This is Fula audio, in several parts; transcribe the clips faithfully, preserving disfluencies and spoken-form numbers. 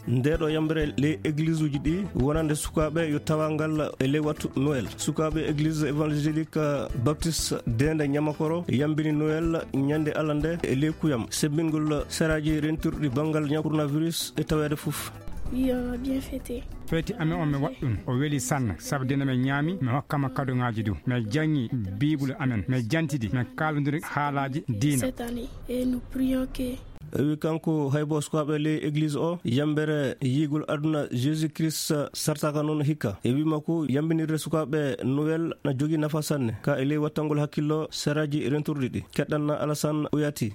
Ndeeɗo yambere ley eglise uji ɗi wonande sukaaɓe yo tawa ngal e ley wattu Noël. Sukaaɓe eglise évangélique baptiste dende ñamakoro yambini Noël ñande alande e ley kuyam sebbingol seraaji rentirɗi banngal ñaw coronavirus e taweede fof. Feeti amen on mi waɗɗum o weli sanne sabu dina men ñaami mi hokkama kaduŋaaji du mi jaŋŋi biibulu amen mi jantidi mi kaalondiri haalaaji diina. E wi kanko haybo sukaaɓe ley eglise o yambere yiigol aduna jésus christ sartaka noon hikka e wi makko yambinirde sukaaɓe noel na jogii nafa sanne ka e ley wattangol hakkillo seraaji rentorɗi ɗi keɗɗanna alasan uyati.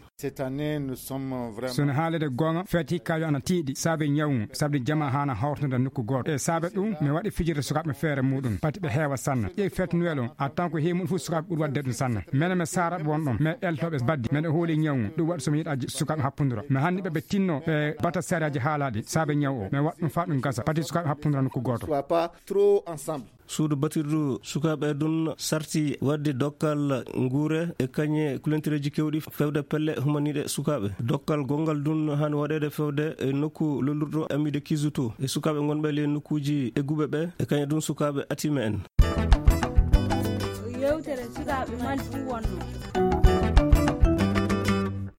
Sono haalede goonga feet hikkaajo ana tiiɗi saabe ñawu ngu saabde jama haana hawrtude nokku gooto e saabe ɗum mi waɗi fijirde sukaaɓe feere muɗum pati ɓe heewa sanne ƴeew feet noel on a tan ko heewi muɗum fof sukaaɓe ɓuri waɗde ɗum sanne mene mi saaraɓe won ɗon mi eltoɓe baddi mene hooli ñawu ngu ɗum waɗi somi yiɗa sukaaɓe happundura mi hanni ɓe ɓe tinno ɓe bata sariyaji haalaɗi saabe ñawu o mi waɗa ɗum fa ɗum gasa pati sukaaɓe happundura nokku gooto. Suudu batirdu sukaaɓe ɗum sarti waɗde dokkal nguure e kañe kulentereeji kewɗi fewde pelle humaniiɗe sukaaɓe dokkal gonngal ɗum haani waɗeede fewde e nokku lollirɗo amide kisuto e sukaaɓe ngonɓe ley nokkuuji egguɓe ɓe e kañe ɗum sukaaɓe atima en. Yewtere sukaaɓe mali ɗum wonno.